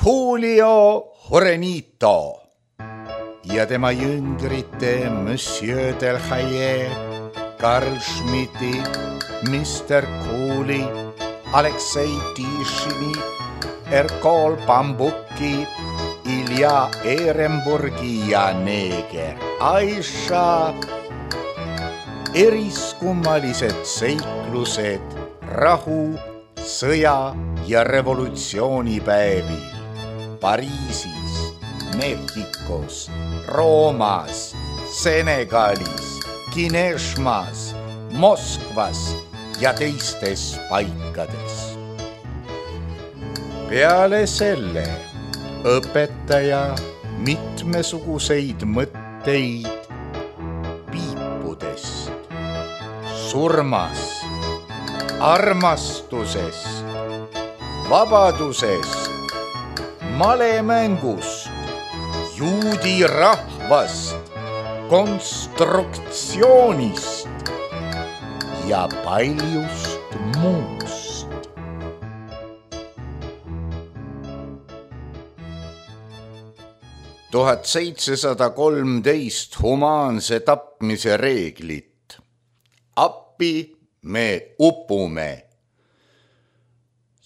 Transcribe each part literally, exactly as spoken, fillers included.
Julio Jurenito ja tema jüngrite Monsieur Delhaye, Karl Schmidti, mister Kooli, Aleksei Tišini, Erkol Bambuki, Ilja Ehrenburgi ja neeger Aisha. Eriskummalised seiklused rahu, sõja ja revolutsioonipäevil Pariisis, Mehhikos, Roomas, Senegalis, Kineshmas, Moskvas ja teistes paikades. Peale selle õpetaja mitmesuguseid mõtteid piipudest, surmast, armastusest, vabadusest, malemängust, juudi rahvast, konstruktsioonist ja paljust muust. tuhat seitsesada kolmteist humaanse tapmise reeglit. Appi me upume.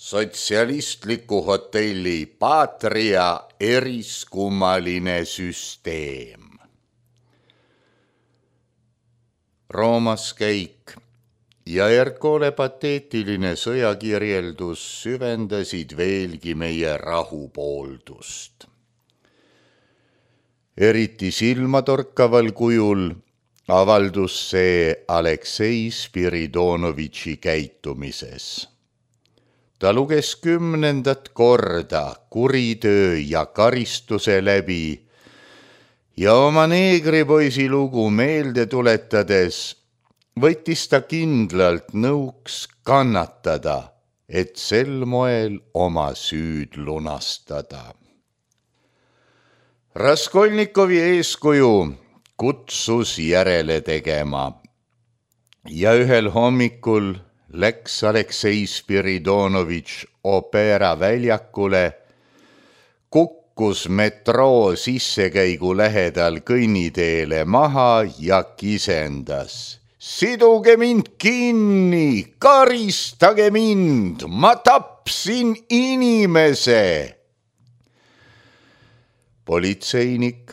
Sotsialistliku hotelli Patria eriskummaline süsteem. Roomas käik ja Erkole pateetiline sõjakirjeldus süvendasid veelgi meie rahupooldust. Eriti silmatorkaval kujul avaldus see Aleksei Spiridonovitši käitumises. Ta luges kümnendat korda kuritöö ja karistuse läbi ja oma neegripoisi lugu meelde tuletades võttis ta kindlalt nõuks kannatada, et sel moel oma süüd lunastada. Raskolnikovi eeskuju kutsus järele tegema ja ühel hommikul läks Aleksei Spiridonovitš Opera väljakule, kukkus metroo sissekäigu lähedal kõnniteele maha ja kisendas. Siduge mind kinni, karistage mind, ma tapsin inimese. Politseinik,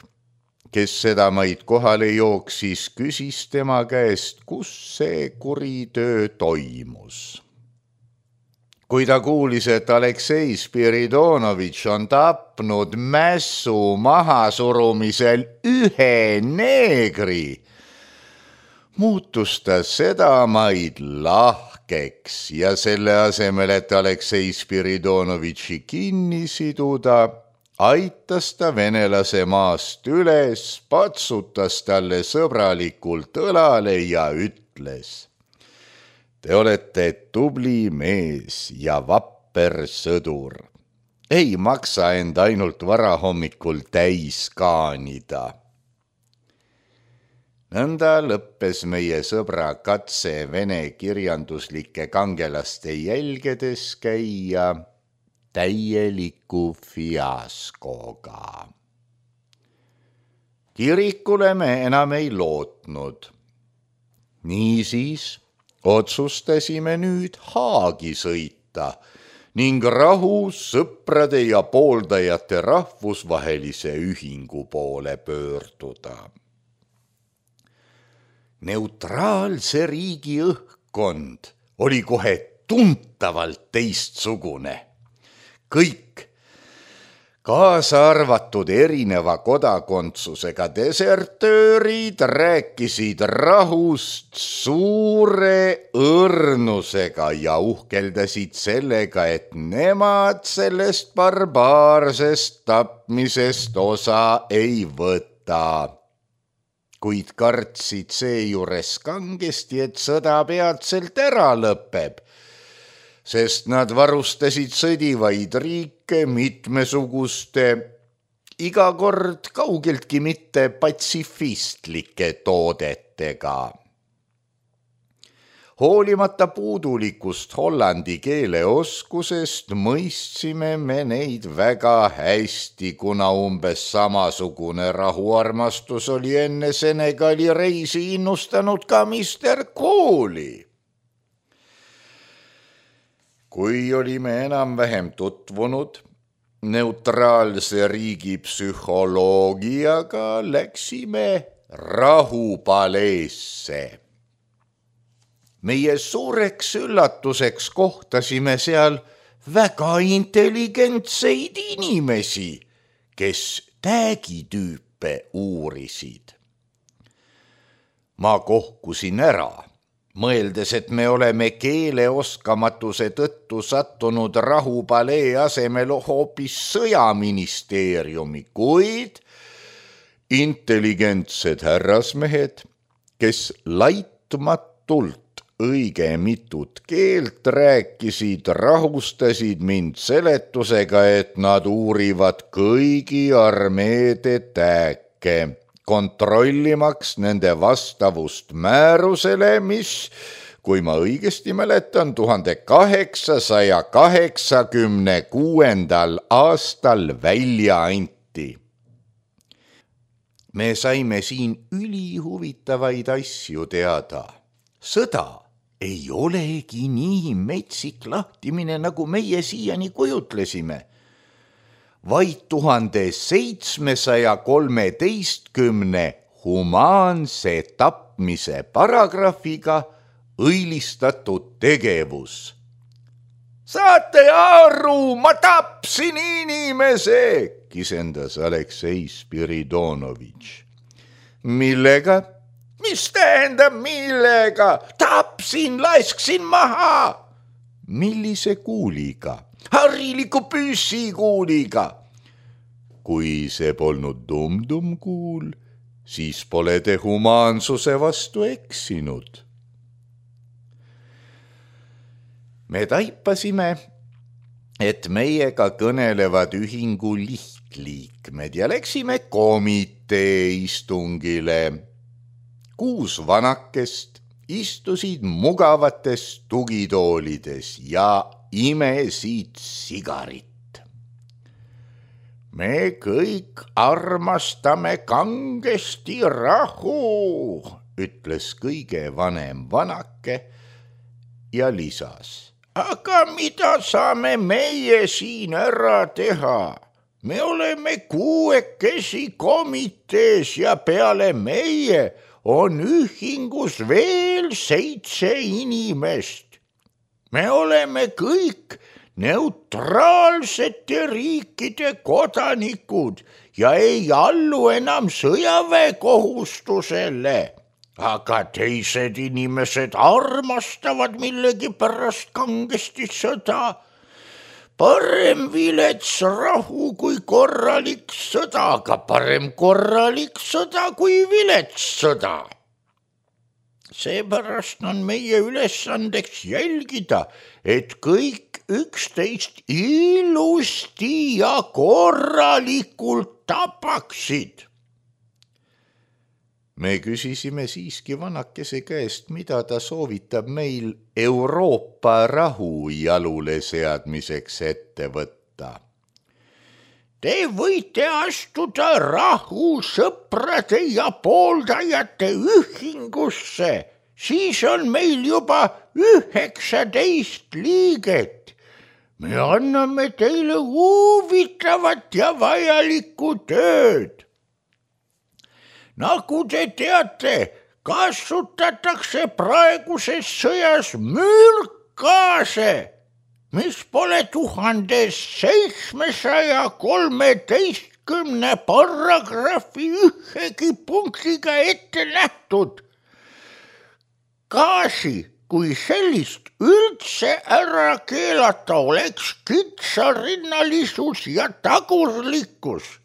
kes seda maid kohale jooksis, küsis tema käest, kus see kuritöö toimus. Kui ta kuulis, et Aleksei Spiridonovitš on tapnud mässu mahasurumisel ühe neegri, muutus ta seda maid lahkeks ja selle asemel, et Aleksei Spiridonovitši kinni siduda, aitas ta venelase maast üles, patsutas talle sõbralikult õlale ja ütles: Te olete tubli mees ja vapper sõdur. Ei maksa end ainult varahommikul täis kaanida. Nõnda lõppes meie sõbra katse vene kirjanduslike kangelaste jälgedes käia täieliku fiaskoga. Kirikule me enam ei lootnud. Niisiis otsustasime nüüd Haagi sõita ning rahu, sõprade ja pooldajate rahvusvahelise ühingu poole pöörduda. Neutraalse riigi õhkkond oli kohe tuntavalt teistsugune. Kõik, kaasa arvatud erineva kodakondsusega desertöörid, rääkisid rahust suure õrnusega ja uhkeldasid sellega, et nemad sellest barbaarsest tapmisest osa ei võta. Kuid kartsid seejuures kangesti, et sõda peatselt ära lõpeb, sest nad varustasid sõdivaid riike mitmesuguste, iga kord kaugeltki mitte patsifistlike toodetega. Hoolimata puudulikust hollandi keele oskusest mõistsime me neid väga hästi, kuna umbes samasugune rahuarmastus oli enne Senegali reisi innustanud ka mister Kooli. Kui olime enam-vähem tutvunud neutraalse riigi psühholoogiaga, läksime rahupaleesse. Meie suureks üllatuseks kohtasime seal väga intelligentseid inimesi, kes täägitüüpe uurisid. Ma kohkusin ära, mõeldes, et me oleme keeleoskamatuse tõttu sattunud rahupalee asemel hoopis sõjaministeeriumi, kuid intelligentsed härrasmehed, kes laitmatult õige mitut keelt rääkisid, rahustasid mind seletusega, et nad uurivad kõigi armeede tääke, kontrollimaks nende vastavust määrusele, mis, kui ma õigesti mäletan, tuhande kaheksasaja kaheksakümne kuuendal aastal välja anti. Me saime siin ülihuvitavaid asju teada. Sõda ei olegi nii metsik lahtimine, nagu meie siiani kujutlesime. Vaid tuhande seitsmesaja kolmeteistkümne humaanse tapmise paragrahviga õilistatud tegevus. Saate aru, ma tapsin inimese, kisendas Aleksei Spiridonovitš. Millega? Mis tähendab millega? Tapsin, lasksin maha. Millise kuuliga? Hariliku püssikuuliga. Kui see polnud tum-tum kuul, siis pole te humaansuse vastu eksinud. Me taipasime, et meiega kõnelevad ühingu lihtliikmed ja läksime komitee istungile. Kuus vanakest istusid mugavates tugitoolides ja imesid sigarit. Me kõik armastame kangesti rahu, ütles kõige vanem vanake ja lisas. Aga mida saame meie siin ära teha? Me oleme kuuekesi komitees ja peale meie on ühingus veel seitse inimest. Me oleme kõik neutraalsete riikide kodanikud ja ei allu enam sõjaväekohustusele. Aga teised inimesed armastavad millegipärast kangesti sõda. Parem vilets rahu kui korralik sõda, aga parem korralik sõda kui vilets sõda. Seepärast on meie ülesandeks jälgida, et kõik üksteist ilusti ja korralikult tapaksid. Me küsisime siiski vanakese käest, mida ta soovitab meil Euroopa rahu jalule seadmiseks ette võtta. Te võite astuda rahusõprade ja pooldajate ühingusse, siis on meil juba üheksateist liiget. Me anname teile huvitavat ja vajalikku tööd. Nagu te teate, kasutatakse praeguses sõjas mürkgaase, mis pole tuhande seitsmesaja kolmeteistkümne paragrahvi ühegi punktiga ette nähtud. Gaasi kui sellist üldse ära keelata oleks kitsarinnalisus ja tagurlikkus.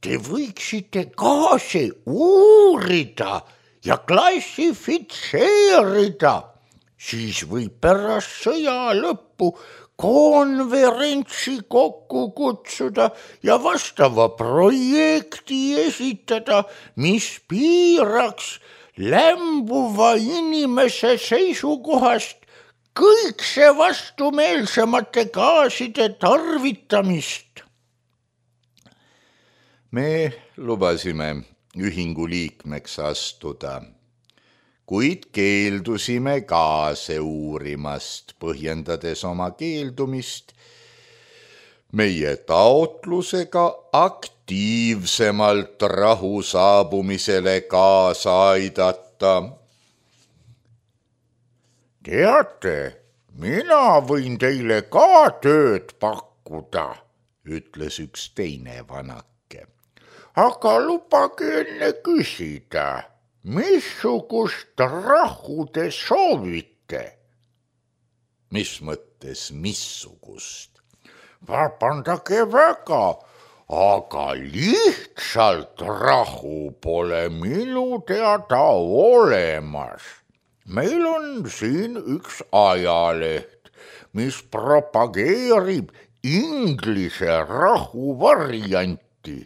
Te võiksite gaasi uurida ja klassifitseerida, siis võib pärast sõja lõppu konverentsi kokku kutsuda ja vastava projekti esitada, mis piiraks lämbuva inimese seisukohast kõik see vastumeelsemate gaaside tarvitamist. Me lubasime ühingu liikmeks astuda, kuid keeldusime gaase uurimast, põhjendades oma keeldumist meie taotlusega aktiivsemalt rahu saabumisele kaasa aidata. Teate, mina võin teile ka tööd pakkuda, ütles üks teine vanake. Aga lubage enne küsida, missugust rahu te soovite? Mis mõttes missugust? Vabandage väga, aga lihtsalt rahu pole minu teada olemas. Meil on siin üks ajaleht, mis propageerib inglise rahu varianti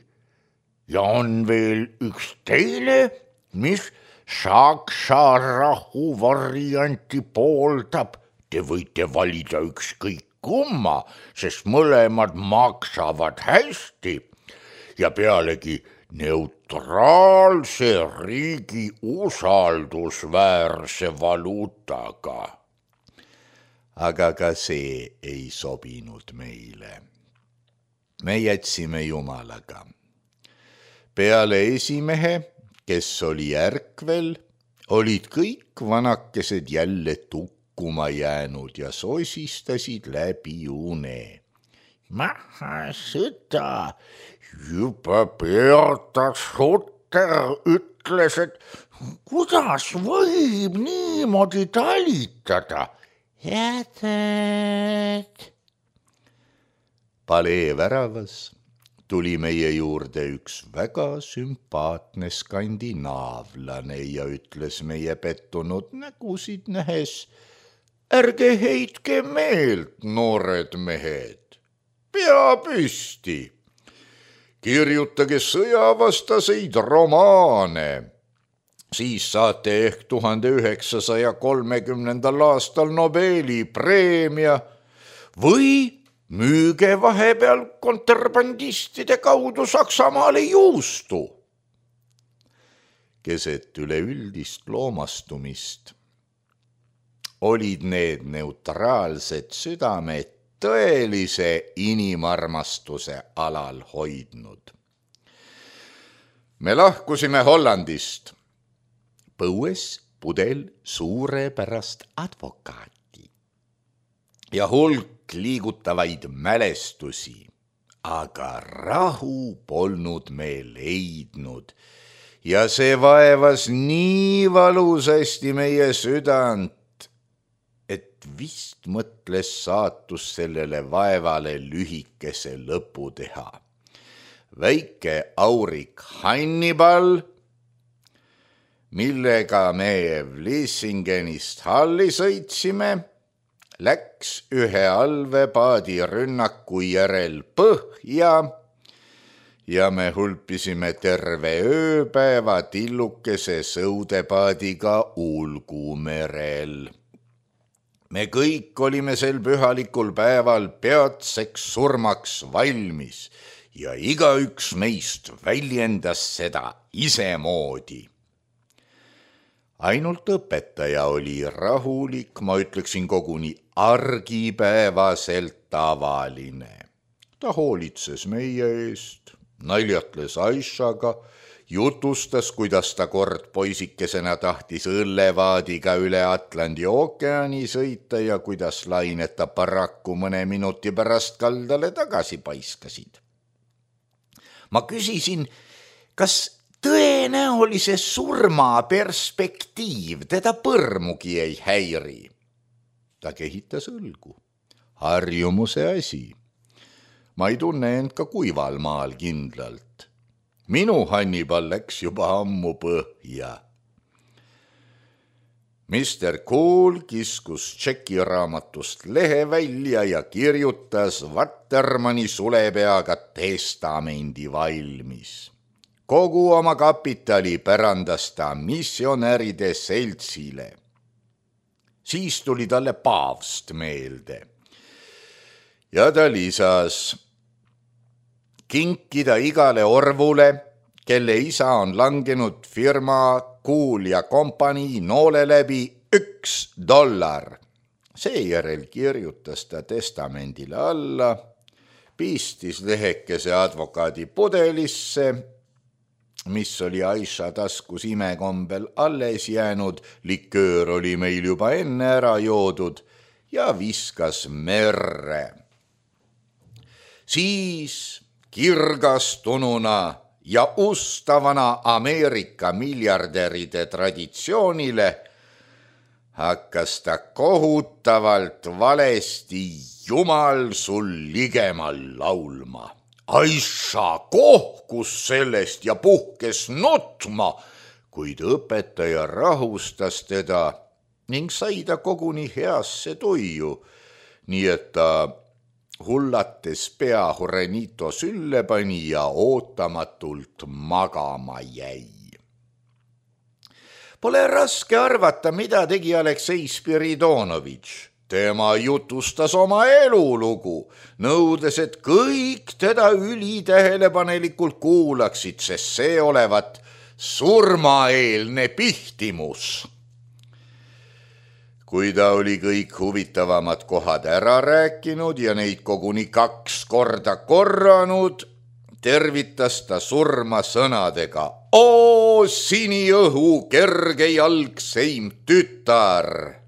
ja on veel üks teine, mis saksa rahu varianti pooldab. Te võite valida ükskõik kumma, sest mõlemad maksavad hästi ja pealegi neutraalse riigi usaldusväärse valuutaga. Aga ka see ei sobinud meile. Me jätsime Jumalaga. Peale esimehe, kes oli ärkvel, olid kõik vanakesed jälle tukkuma jäänud ja sosistasid läbi une. Maha sõda, juba Berta Sutter ütles, et kuidas võib niimoodi talitada? Jätad. Palee väravas tuli meie juurde üks väga sümpaatne skandinaavlane ja ütles meie pettunud nägusid nähes: ärge heitke meelt, noored mehed, pea püsti, kirjutage sõjavastaseid romaane, siis saate ehk tuhande üheksasaja kolmekümnendal aastal Nobeli preemia või müüge vahepeal kontrabandistide kaudu Saksamaale juustu. Keset üleüldist loomastumist olid need neutraalsed südamed tõelise inimarmastuse alal hoidnud. Me lahkusime Hollandist, põues pudel suurepärast advokaati ja hulk liigutavaid mälestusi, aga rahu polnud me leidnud ja see vaevas nii valusasti meie südant, et vist mõtles saatus sellele vaevale lühikese lõpu teha. Väike aurik Hannibal, millega me Vlissingenist Halli sõitsime, läks ühe allveepaadi rünnaku järel põhja ja me hulpisime terve ööpäeva tillukese sõudepaadiga Ulgumerel. Me kõik olime sel pühalikul päeval peatseks surmaks valmis ja igaüks meist väljendas seda isemoodi. Ainult õpetaja oli rahulik, ma ütleksin koguni argipäevaselt tavaline. Ta hoolitses meie eest, naljatles Aishaga, jutustas, kuidas ta kord poisikesena tahtis õllevaadiga üle Atlandi ookeani sõita ja kuidas lained ta paraku mõne minuti pärast kaldale tagasi paiskasid. Ma küsisin, kas tõenäolise surma perspektiiv teda põrmugi ei häiri. Ta kehitas õlgu. Harjumuse asi. Ma ei tunne end ka kuival maal kindlalt. Minu Hannibal läks juba ammu põhja. mister Kool kiskus tšekiraamatust lehe välja ja kirjutas Vattermanni sulepeaga testamendi valmis. kogu oma kapitali pärandas ta missionäride seltsile. Siis tuli talle paavst meelde ja ta lisas kinkida igale orvule, kelle isa on langenud firma Kuul ja kompanii noole läbi üks dollar. Seejärel kirjutas ta testamendile alla, pistis lehekese advokaadi pudelisse, mis oli Aisha taskus imekombel alles jäänud, liköör oli meil juba enne ära joodud ja viskas merre. Siis kirgastununa ja ustavana Ameerika miljardäride traditsioonile hakkas ta kohutavalt valesti Jumal sul ligemal laulma. Aisha kohkus sellest ja puhkes nutma, kuid õpetaja rahustas teda ning sai ta koguni heasse tuju, nii et ta hullates pea Jurenito sülle pani ja ootamatult magama jäi. Pole raske arvata, mida tegi Aleksei Spiridonovitš. Tema jutustas oma elulugu, nõudes, et kõik teda ülitähelepanelikult kuulaksid, sest see olevat surmaeelne pihtimus. Kui ta oli kõik huvitavamad kohad ära rääkinud ja neid koguni kaks korda korranud, tervitas ta surma sõnadega: "Oo siniõhu kergejalgseim tütar!"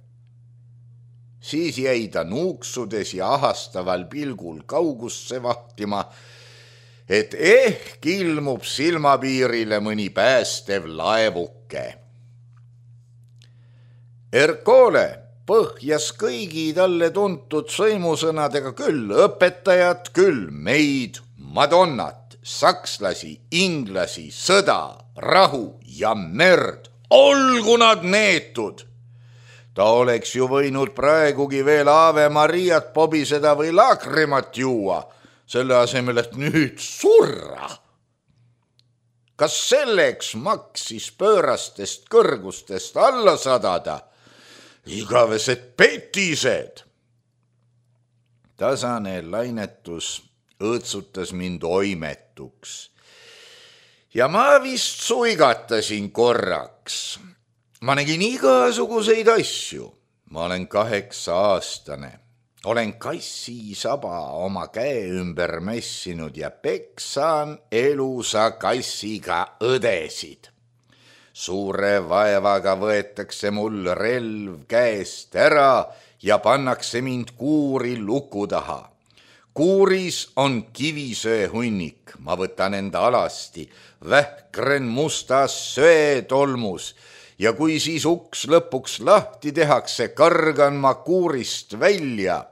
Siis jäi ta nuuksudes ja ahastaval pilgul kaugusse vahtima, et ehk ilmub silmapiirile mõni päästev laevuke. Ercole põhjas kõigi talle tuntud sõimusõnadega küll õpetajat, küll meid, Madonnat, sakslasi, inglasi, sõda, rahu ja merd. Olgu nad neetud! Ta oleks ju võinud praegugi veel Ave Mariat pobiseda või laakrimat juua, selle asemel, et nüüd surra. Kas selleks maksis pöörastest kõrgustest alla sadada? Igavesed petised. Tasane lainetus õõtsutas mind oimetuks ja ma vist suigatasin korraks. Ma nägin igasuguseid asju. Ma olen kaheksa aastane. Olen kassi saba oma käe ümber mässinud ja peksan elusa kassiga õdesid. Suure vaevaga võetakse mul relv käest ära ja pannakse mind kuuri luku taha. Kuuris on kivisöe hunnik. Ma võtan enda alasti, vähkren mustas söetolmus ja kui siis uks lõpuks lahti tehakse, kargan ma kuurist välja.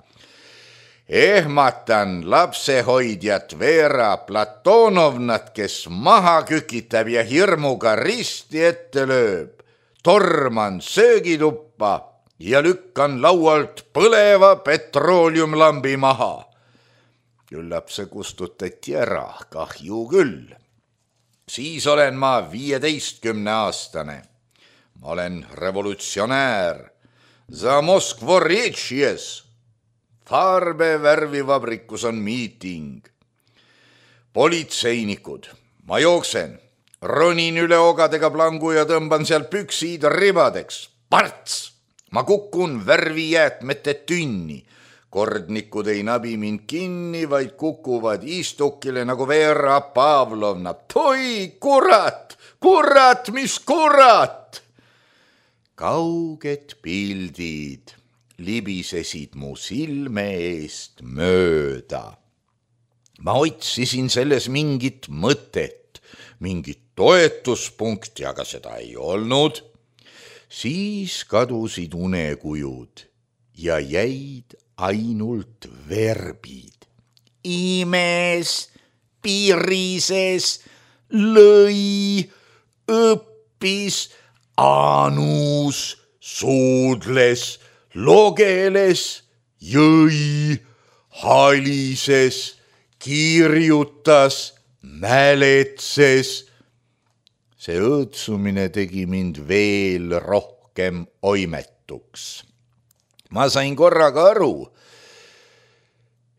Ehmatan lapsehoidjat Vera Platonovnat, kes maha kükitab ja hirmuga risti ette lööb. Torman söögituppa ja lükkan laualt põleva petrooliumlambi maha. Küllap see kustutati ära, kahju küll. Siis olen ma viieteistkümne aastane. Ma olen revolutsionäär. Za Moskvorečjes. Farbevärvivabrikus on miiting. Politseinikud. Ma jooksen. Ronin üle ogadega plangu ja tõmban seal püksid ribadeks. Parts! Ma kukun värvijäätmete tünni. Kordnikud ei nabi mind kinni, vaid kukuvad istukile nagu Vera Pavlovna. Toi, kurat! Kurat, mis kurat! Kauged pildid libisesid mu silme eest mööda. Ma otsisin selles mingit mõtet, mingit toetuspunkti, aga seda ei olnud. Siis kadusid unekujud ja jäid ainult verbid. Imes, piirises, lõi, õppis, anus, suudles, logeles, jõi, halises, kirjutas, mäletses, See õõtsumine tegi mind veel rohkem oimetuks. Ma sain korraga aru,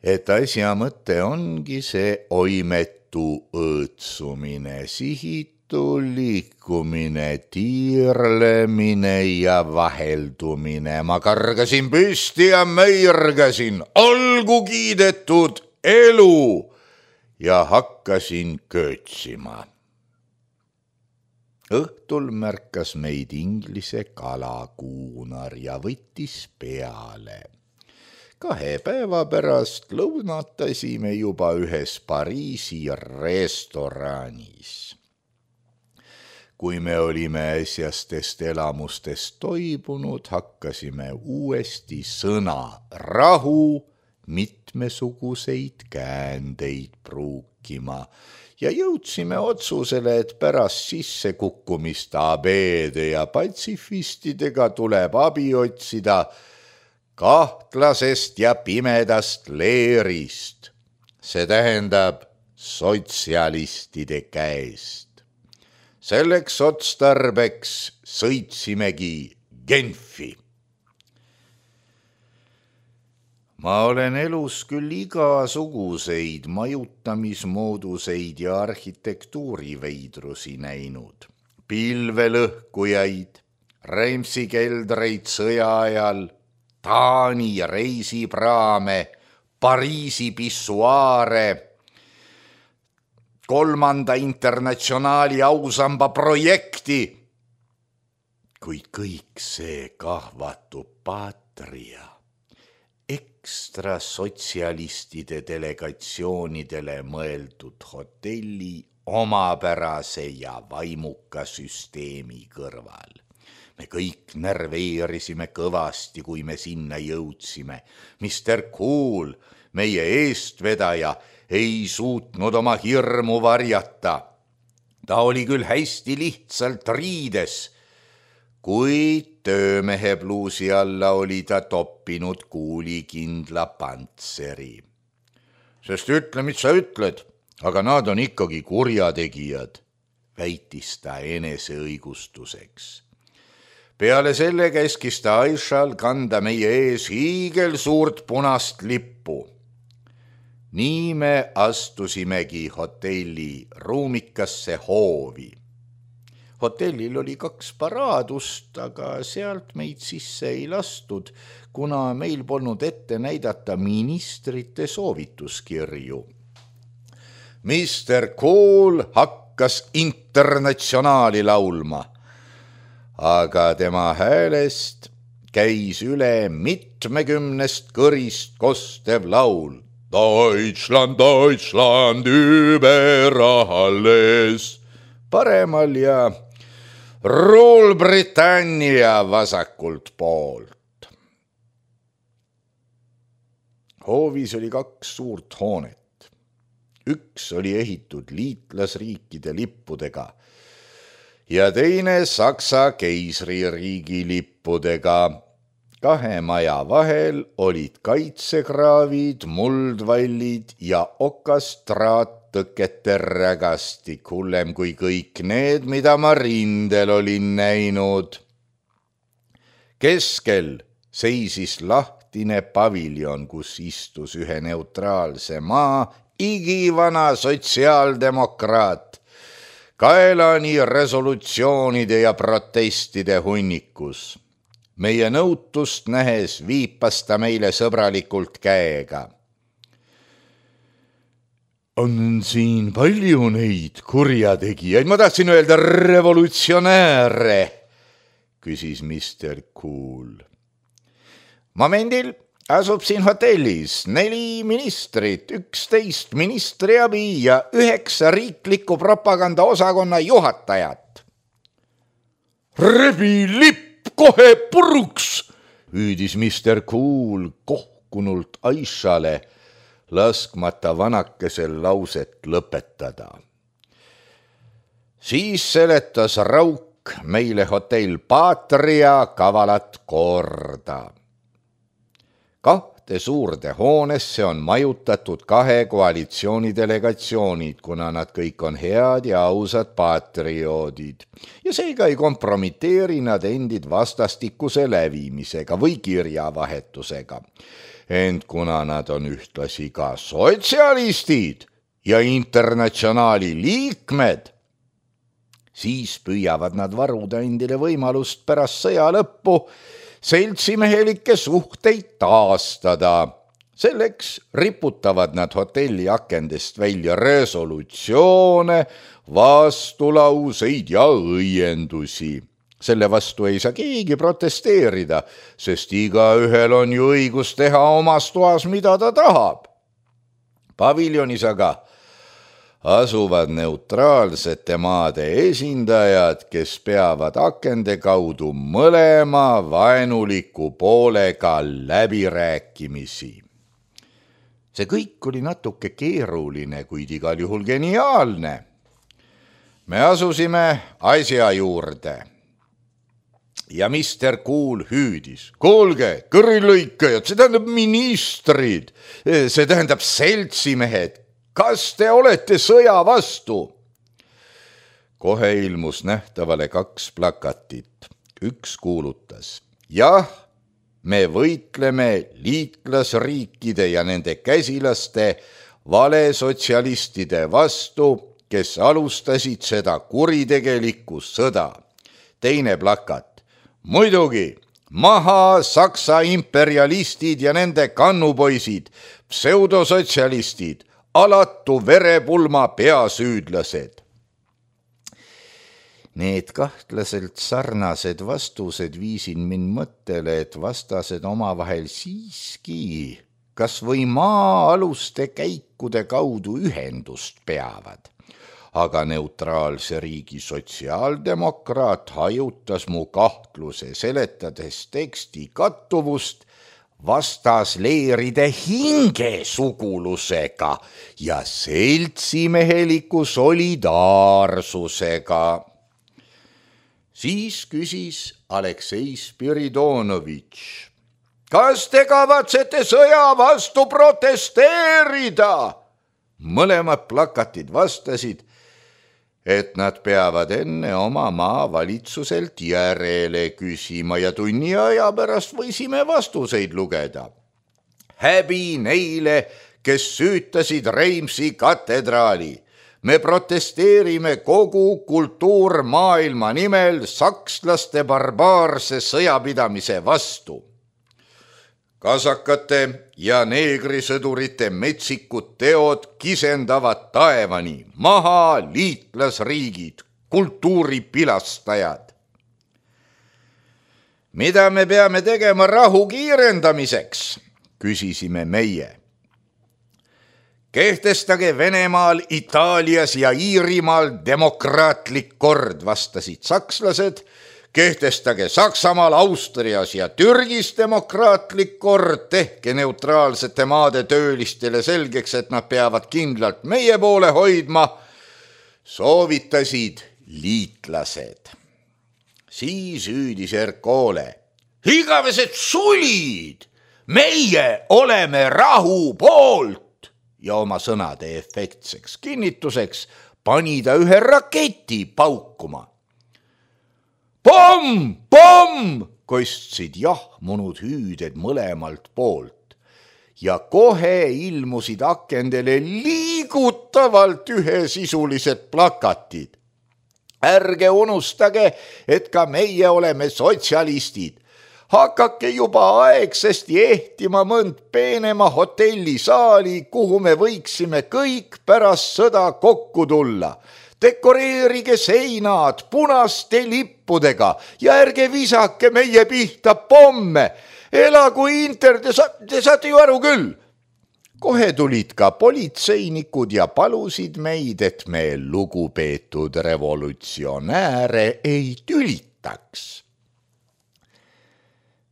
et asja mõte ongi see oimetu õõtsumine, sihitu liikumine, tiirlemine ja vaheldumine. Ma kargasin püsti ja möirgasin, olgu kiidetud elu ja hakkasin köötsima. Õhtul märkas meid inglise kalakuunar ja võttis peale. Kahe päeva pärast lõunatasime juba ühes Pariisi restoranis. Kui me olime äsjastest elamustest toibunud, hakkasime uuesti sõna rahu mitmesuguseid käändeid pruukima ja jõudsime otsusele, et pärast sissekukkumist abeede ja patsifistidega tuleb abi otsida kahtlasest ja pimedast leerist, see tähendab sotsialistide käest. Selleks otstarbeks sõitsimegi Genfi. Ma olen elus küll igasuguseid majutamismooduseid ja arhitektuuriveidrusi näinud. Pilvelõhkujaid, Reimsi-keldreid sõja ajal, Taani reisipraame, Pariisi pissuaare, kolmanda internatsionaali ausamba projekti. Kuid kõik see kahvatub Patria ekstra sotsialistide delegatsioonidele mõeldud hotelli omapärase ja vaimuka süsteemi kõrval. Me kõik nerveerisime kõvasti, kui me sinna jõudsime. mister Cool, meie eestvedaja, ei suutnud oma hirmu varjata. Ta oli küll hästi lihtsalt riides, kuid töömehe pluusi alla oli ta toppinud kuulikindla pantseri. Sest ütle, mis sa ütled, aga nad on ikkagi kurjategijad, väitis ta eneseõigustuseks. Peale selle käskis ta Aishal kanda meie ees hiigel suurt punast lippu. Nii me astusimegi hotelli ruumikasse hoovi. Hotellil oli kaks paraadust, aga sealt meid sisse ei lastud, kuna meil polnud ette näidata ministrite soovituskirju. mister Cool hakkas internatsionaali laulma, aga tema häälest käis üle mitmekümnest kõrist kostev laul. Deutschland, Deutschland über alles. Paremal ja Ruulbritannia vasakult poolt. Hoovis oli kaks suurt hoonet. Üks oli ehitud liitlasriikide lippudega ja teine Saksa keisririigi lippudega. Kahe maja vahel olid kaitsekraavid, muldvallid ja okastraattõkete rägastik, hullem kui kõik need, mida ma rindel olin näinud. Keskel seisis lahtine paviljon, kus istus ühe neutraalse maa igivana sotsiaaldemokraat, kaelani resolutsioonide ja protestide hunnikus. Meie nõutust nähes viipas ta meile sõbralikult käega. On siin palju neid kurjategijaid, ma tahtsin öelda revolutsionääre, küsis mister Cool. Momendil asub siin hotellis neli ministrit, üksteist ministriabi ja üheksa riikliku propaganda osakonna juhatajat. Rebi lipp! Kohe puruks, hüüdis mister Cool kohkunult Aishale, laskmata vanakesel lauset lõpetada. Siis seletas Rauk meile hotell Patria kavalat korda. Kahte kahte suurde hoonesse on majutatud kahe koalitsiooni delegatsioonid, kuna nad kõik on head ja ausad patrioodid. Ja seega ei kompromiteeri nad endid vastastikuse lävimisega või kirjavahetusega. Ent kuna nad on ühtlasi ka sotsialistid ja internatsionaali liikmed, siis püüavad nad varuda endile võimalust pärast sõja lõppu seltsimehelikke suhteid taastada. Selleks riputavad nad hotelli akendest välja resolutsioone, vastulauseid ja õiendusi. Selle vastu ei saa keegi protesteerida, sest igaühel on ju õigus teha omas toas, mida ta tahab. Paviljonis aga asuvad neutraalsete maade esindajad, kes peavad akende kaudu mõlema vaenuliku poolega läbirääkimisi. See kõik oli natuke keeruline, kuid igal juhul geniaalne. Me asusime asja juurde. Ja mister Kuul hüüdis. Kuulge, kõrilõikajad, see tähendab ministrid, see tähendab seltsimehed. Kas te olete sõja vastu? Kohe ilmus nähtavale kaks plakatit. Üks kuulutas. Jah, me võitleme liitlasriikide ja nende käsilaste valesotsialistide vastu, kes alustasid seda kuritegelikku sõda. Teine plakat. Muidugi, maha Saksa imperialistid ja nende kannupoisid, pseudosotsialistid, alatu verepulma peasüüdlased. Need kahtlaselt sarnased vastused viisin mind mõttele, et vastased omavahel siiski kas või maa-aluste käikude kaudu ühendust peavad. Aga neutraalse riigi sotsiaaldemokraat hajutas mu kahtluse, seletades teksti kattuvust vastasleeride hingesugulusega ja seltsimeheliku solidaarsusega. Siis küsis Aleksei Spiridonovitš, kas te kavatsete sõja vastu protesteerida? Mõlemad plakatid vastasid, et nad peavad enne oma maavalitsuselt järele küsima ja tunni aja pärast võisime vastuseid lugeda. Häbi neile, kes süütasid Reimsi katedraali. Me protesteerime kogu kultuurmaailma nimel sakslaste barbaarse sõjapidamise vastu. Kasakate ja neegrisõdurite metsikud teod kisendavad taevani, maha liitlasriigid, kultuuripilastajad. Mida me peame tegema rahu kiirendamiseks, küsisime meie. Kehtestage Venemaal, Itaalias ja Iirimaal demokraatlik kord, vastasid sakslased. Kehtestage Saksamaal, Austrias ja Türgis demokraatlik kord, tehke neutraalsete maade töölistele selgeks, et nad peavad kindlalt meie poole hoidma, soovitasid liitlased. Siis hüüdis Erkole. Igavesed sulid, meie oleme rahu poolt ja oma sõnade efektseks kinnituseks pani ta ühe raketi paukuma. Pomm, pomm, kostsid jahmunud hüüded mõlemalt poolt ja kohe ilmusid akendele liigutavalt ühesisulised plakatid. Ärge unustage, et ka meie oleme sotsialistid. Hakake juba aegsesti ehtima mõnd peenema hotellisaali, kuhu me võiksime kõik pärast sõda kokku tulla. Dekoreerige seinad punaste lippudega ja ärge visake meie pihta pomme. Elagu Inter, te, sa, te saate ju aru küll. Kohe tulid ka politseinikud ja palusid meid, et me lugupeetud revolutsionääre ei tülitaks.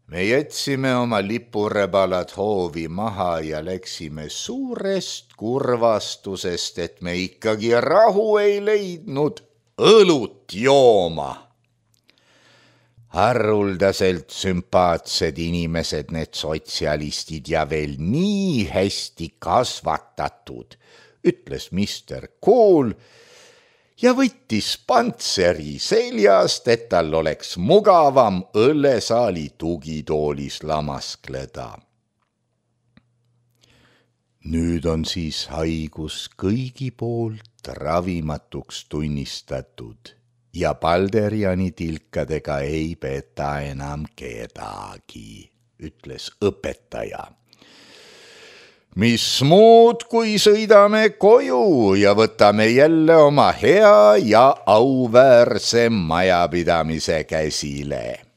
Me jätsime oma lipurebalad hoovi maha ja läksime suurest kurvastusest, et me ikkagi rahu ei leidnud õlut jooma. Haruldaselt sümpaatsed inimesed need sotsialistid ja veel nii hästi kasvatatud, ütles mister Kool ja võttis pantseri seljast, et tal oleks mugavam õllesaali tugitoolis lamaskleda. Nüüd on siis haigus kõigi poolt ravimatuks tunnistatud ja Balderiani tilkadega ei peeta enam kedagi, ütles õpetaja. Mis muud, kui sõidame koju ja võtame jälle oma hea ja auväärse majapidamise käsile.